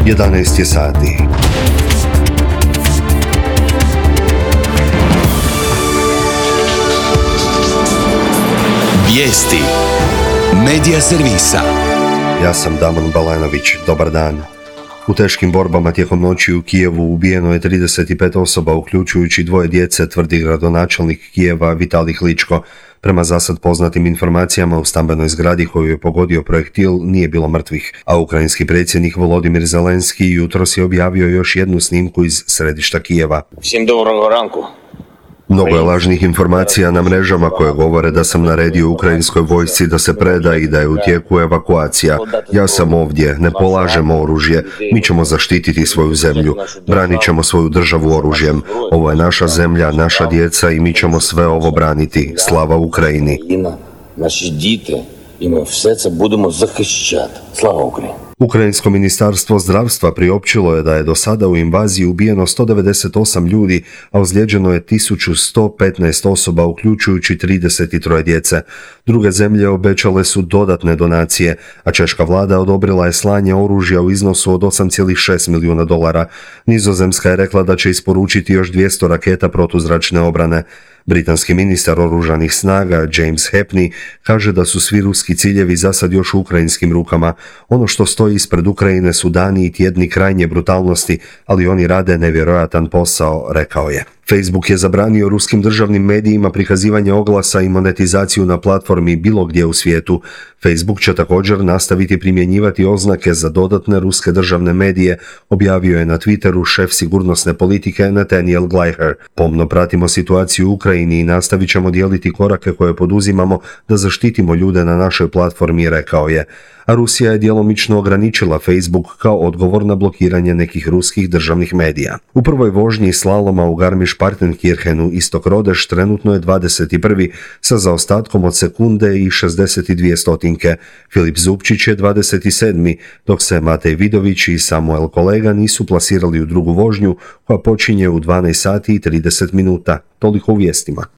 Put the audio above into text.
11 je sati. Vijesti Medija servisa. Ja sam Damon Balanović. Dobar dan. U teškim borbama tijekom noći u Kijevu ubijeno je 35 osoba, uključujući 2 djece, tvrdi gradonačelnik Kijeva Vitalij Kličko. Prema zasad poznatim informacijama, u stambenoj zgradi koju je pogodio projektil nije bilo mrtvih, a ukrajinski predsjednik Volodimir Zelenski jutros je objavio još jednu snimku iz središta Kijeva. Всім доброго ранку. Mnogo je lažnih informacija na mrežama koje govore da sam naredio ukrajinskoj vojsci da se preda i da je u tijeku evakuacija. Ja sam ovdje, ne polažemo oružje, mi ćemo zaštititi svoju zemlju, branit ćemo svoju državu oružjem. Ovo je naša zemlja, naša djeca i mi ćemo sve ovo braniti. Slava Ukrajini. Наші діти, і ми все це будемо захищати. Слава Україні! Ukrajinsko ministarstvo zdravstva priopćilo je da je do sada u invaziji ubijeno 198 ljudi, a ozlijeđeno je 1115 osoba, uključujući 33 djece. Druge zemlje obećale su dodatne donacije, a češka vlada odobrila je slanje oružja u iznosu od $8,6 milijuna. Nizozemska je rekla da će isporučiti još 200 raketa protuzračne obrane. Britanski ministar oružanih snaga James Hepney kaže da su svi ruski ciljevi zasad još u ukrajinskim rukama. Ono što stoji ispred Ukrajine su dani i tjedni krajnje brutalnosti, ali oni rade nevjerojatan posao, rekao je. Facebook je zabranio ruskim državnim medijima prikazivanje oglasa i monetizaciju na platformi bilo gdje u svijetu. Facebook će također nastaviti primjenjivati oznake za dodatne ruske državne medije, objavio je na Twitteru šef sigurnosne politike Nathaniel Gleicher. Pomno pratimo situaciju u Ukrajini i nastavit ćemo dijeliti korake koje poduzimamo da zaštitimo ljude na našoj platformi, rekao je. A Rusija je djelomično ograničila Facebook kao odgovor na blokiranje nekih ruskih državnih medija. U prvoj vožnji slaloma u Garmisch-Partenkirchenu istok Rodeš trenutno je 21. sa zaostatkom od sekunde i 62 stotinke. Filip Zupčić je 27. dok se Matej Vidović i Samuel Kolega nisu plasirali u drugu vožnju koja počinje u 12 sati i 30 minuta. Toliko u vijestima.